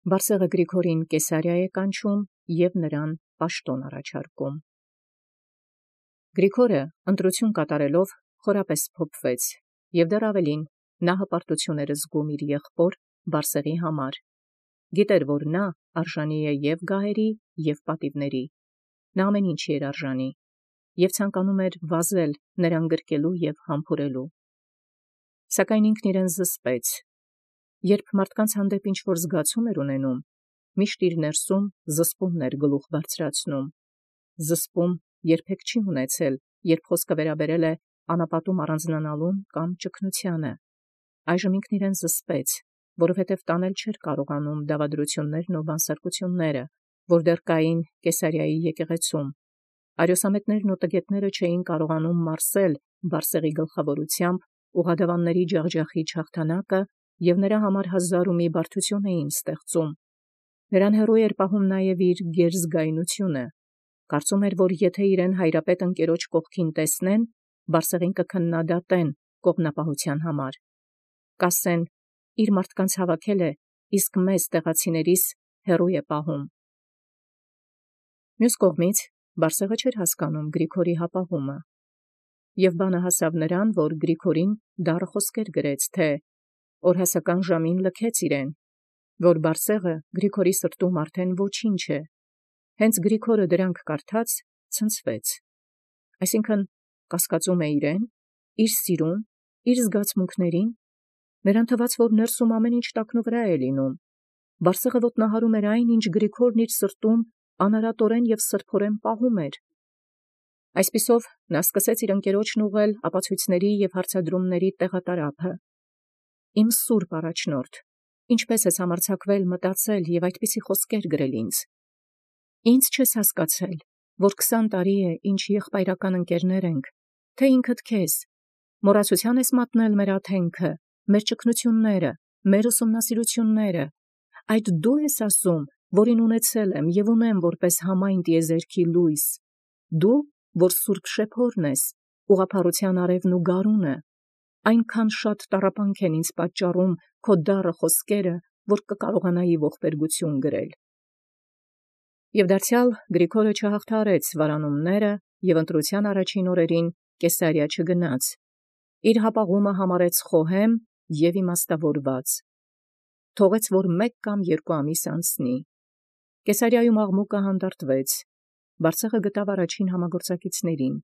Բարսեղը Գրիգորին Կեսարիա կանչում և նրան պաշտոն առաջարկում։ Գրիգորը ընտրություն կատարելով խորապես փոփվեց, և դեռ ավելին նա հպարտություն էր զգում իր եղբոր Բարսեղի համար։ Գիտեր, որ նա արժանի է և գահերի, և պատիվների, նա ամեն ինչի էր արժանի, և ցանկանում էր վազել նրան գրկելու և համբուրելու։ Սակայն ինքն իրեն զսպեց, երբ մարդկանց հանդեպ ինչ-որ զգացում էր ունենում, միշտ իր ներսում զսպումն էր գլուխ բարձրացնում։ Զսպում երբեք չի ունեցել, երբ խոսքը վերաբերել է անապատում առանձնանալուն կամ ճգնությանը։ Այժմ ինքն իրեն զսպեց, որովհետև տանել չէր կարողանում դավադրություններն ու բանսարկությունները, որ դեռ կային Կեսարիայի եկեղեցում։ Արիոսամետներն ու տգետները չէին կարողանում մարսել Բարսեղի գլխավորությամբ ուղղադավանների ջախջախիչ հաղթանակը և նրա համար հազար ու մի բարդություն էին ստեղծում։ Նրան հեռու էր պահում նաև իր գերզգայունությունը։ Կարծում էր, որ եթե իրեն հայրապետ ընկերոջ կողքին տեսնեն, Բարսեղին կքննադատեն կողմնապահության համար։ Կասեն, իր մարդկանց հավաքել է, իսկ մեզ տեղացիներիս հեռու է պահում։ Մյուս կողմից Բարսեղը չէր հասկանում Գրիգորի հապաղումը, և բանը հասավ նրան, որ Գրիգորին դառը խոսքեր գրեց, թե օրհասական ժամին լքեց իրեն, որ Բարսեղը Գրիգորի սրտում արդեն ոչինչ է։ Հենց Գրիգորը դրանք կարդաց, ցնցվեց, այսինքն կասկածում է իրեն, իր սիրուն, իր զգացմունքներին, նրան թվաց, որ ներսում ամեն ինչ տակնուվրա է լինում։ Բարսեղը ոտնահարում էր այն, ինչ Գրիգորն իր սրտում անարատորեն և սրբորեն պահում էր։ Այսպիսով նա սկսեց իր ընկերոջն ուղղել ապացույցների և հարցադրումների տեղատարափը։ Իմ սուրբ առաջնորդ, ինչպես ես համարձակվել մտածել և այդպիսի խոսքեր գրել ինձ։ Ինձ չես հասկացել, որ 20 տարի է, ինչ եղբայրական ընկերներ ենք, թե ինքդ քեզ մոռացության ես մատնել մեր աթենքը, մեր ճգնությունները, մեր ուսումնասիրությունները։ Այդ դու ես ասում, որին ունեցել եմ և ունեմ որպես համայն տիեզերքի լույս, դու, որ սուրբ շեփորն ես, ուղղափառության արևն ու գարունը, այնքան շատ տառապանք են ինձ պատճառում քո դառը խոսքերը, որ կկարողանայի ողբերգություն գրել։ Եվ դարձյալ Գրիգորը չհաղթահարեց վարանումները և ընտրության առաջին օրերին Կեսարիա չգնաց, իր հապաղումը համարեց խոհեմ և իմաստավորված, թողեց, որ 1 կամ 2 ամիս անցնի։ Կեսարիայում աղմուկը հանդարտվեց, Բարսեղը գտավ առաջին համագործակիցներին։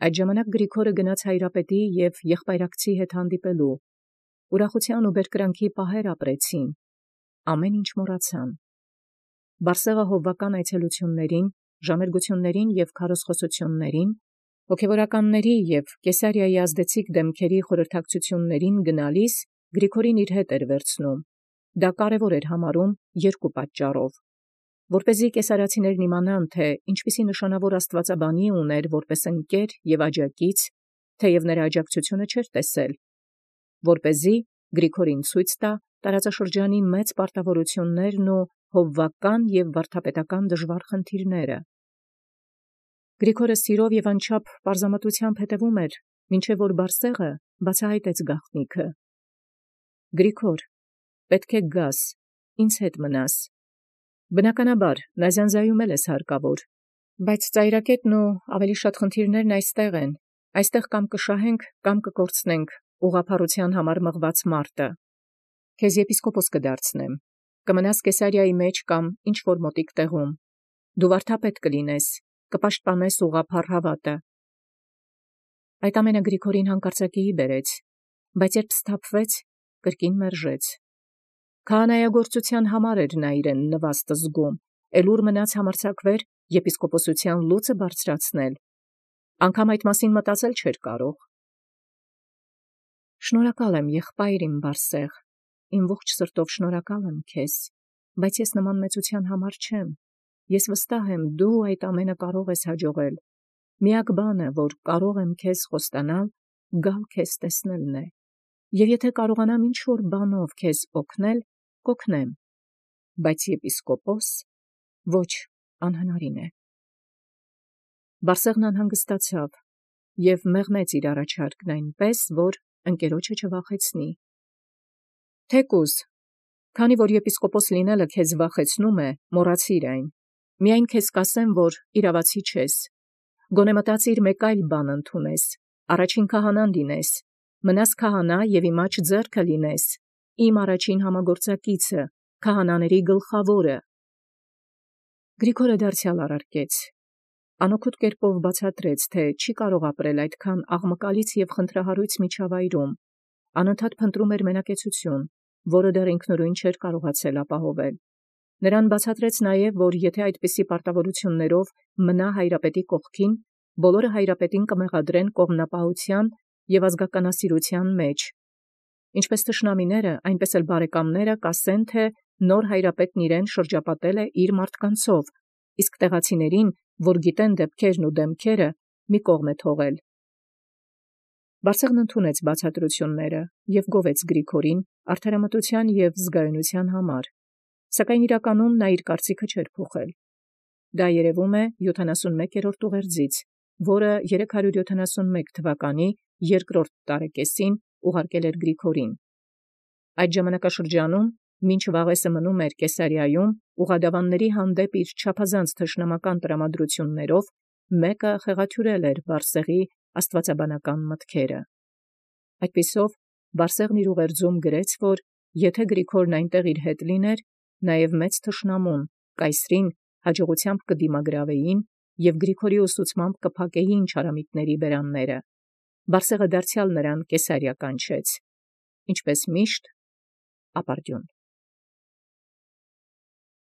Այդ ժամանակ Գրիգորը գնաց հայրապետի և եղբայրակցի հետ հանդիպելու։ Ուրախության ու բերկրանքի պահեր ապրեցին, ամեն ինչ մոռացան։ Բարսեղը հովվական այցելություններին, ժամերգություններին և քարոզխոսություններին, հոգևորականների և Կեսարիայի ազդեցիկ դեմքերի խորհրդակցություններին գնալիս Գրիգորին իր հետ էր վերցնում։ Դա կարևոր էր համարում 2 պատճառով. որպեսզի կեսարացիներն իմանան, թե ինչպիսի նշանավոր աստվածաբանի ուներ որպես ընկեր և աջակից, թեև նրա աջակցությունը չէր տեսել, որպեսզի Գրիգորին ցույց տա տարածաշրջանի մեծ պարտավորություններն ու հովվական և վարդապետական դժվար խնդիրները։ Գրիգորը սիրով և անչափ պարզամտությամբ հետևում էր, մինչև որ Բարսեղը բացահայտեց գաղտնիքը։ Գրիգոր, պետք է գաս, ինձ հետ մնաս։ Բնականաբար, նազանձայում ես հարկավոր, բայց ծայրակետն ու ավելի շատ խնդիրներն այստեղ են, այստեղ կամ կշահենք, կամ կկորցնենք ուղղափառության համար մղված մարտը։ Քեզ եպիսկոպոս կդարձնեմ, կմնաս Կեսարիայի մեջ կամ ինչ-որ մոտիկ տեղում, դու վարդապետ կլինես, կպաշտպանես ուղղափառ հավատը։ Այդ ամենը Գրիգորին հանկարծակիի բերեց, բայց երբ սթափվեց, կրկին մերժեց։ Քահանայագործության համար էր նա իրեն նվաստ զգում, էլ ուր մնաց համարձակվեր եպիսկոպոսության լուծը բարձրացնել, անգամ այդ մասին մտածել չէր կարող։ Շնորհակալ եմ, եղբայր իմ Բարսեղ, իմ ողջ սրտով շնորհակալ եմ քեզ, բայց ես նման մեծության համար չեմ, ես վստահ եմ դու այդ ամենը կարող ես հաջողել, միակ բանը, որ կարող եմ քեզ խոստանալ, գալ քեզ տեսնելն է, և եթե կարողանամ ինչ-որ բանով քեզ օգնել, կօգնեմ, բայց եպիսկոպոս, ոչ, անհնարին է։ Բարսեղն անհանգստացավ և մեղմեց իր առաջարկն այնպես, որ ընկերոջը չվախեցնի։ Թեկուզ, Քանի որ եպիսկոպոս լինելը քեզ վախեցնում է, մոռացիր այն. միայն քեզ կասեմ, որ իրավացի չես։ Գոնե մտածիր մեկ այլ բան ընդունես, առաջին քահանան լինես, մնաս քահանա և իմ աջ ձեռքը լինես, իմ առաջին համագործակիցը, քահանաների գլխավորը։ Գրիգորը դարձյալ առարկեց։ Անօգուտ կերպով բացատրեց, թե չի կարող ապրել այդքան աղմկալից և խնդրահարույց միջավայրում, անընդհատ փնտրում էր մենակեցություն, որը դեռ ինքնուրույն չէր կարողացել ապահովել։ Նրան բացատրեց նաև, որ եթե այդպիսի պարտավորություններով մնա հայրապետի կողքին, բոլորը հայրապետին կմեղադրեն կողմնապահության և ազգականասիրության մեջ։ Ինչպես թշնամիները, այնպես էլ բարեկամները կասեն, թե նոր հայրապետն իրեն շրջապատել է իր մարդկանցով, իսկ տեղացիներին, որ գիտեն դեպքերն ու դեմքերը, մի կողմ է թողել։ Բարսեղն ընդունեց բացատրությունները և գովեց Գրիգորին արդարամտության և զգայունության համար, սակայն իրականում նա իր կարծիքը չէր փոխել։ Դա երևում է 71-րդ ուղերձից, որը 371 թվականի 2-րդ տարեկեսին ուղարկել էր Գրիգորին։ Այդ ժամանակաշրջանում, մինչ Վաղեսը մնում էր Կեսարիայում, ուղղադավանների հանդեպ իր չափազանց թշնամական տրամադրություններով, մեկը խեղաթյուրել էր Բարսեղի աստվածաբանական մտքերը։ Այդպիսով, Բարսեղն իր ուղերձում գրեց, որ եթե Գրիգորն այնտեղ իր հետ լիներ, նաև մեծ թշնամուն, կայսրին, հաջողությամբ կդիմագրավեին և Գրիգորի ուսուցմամբ կփակեին չարամիտների բերանները։ Բարսեղը դարձյալ նրան Կեսարիա կանչեց, ինչպես միշտ ապարդյուն։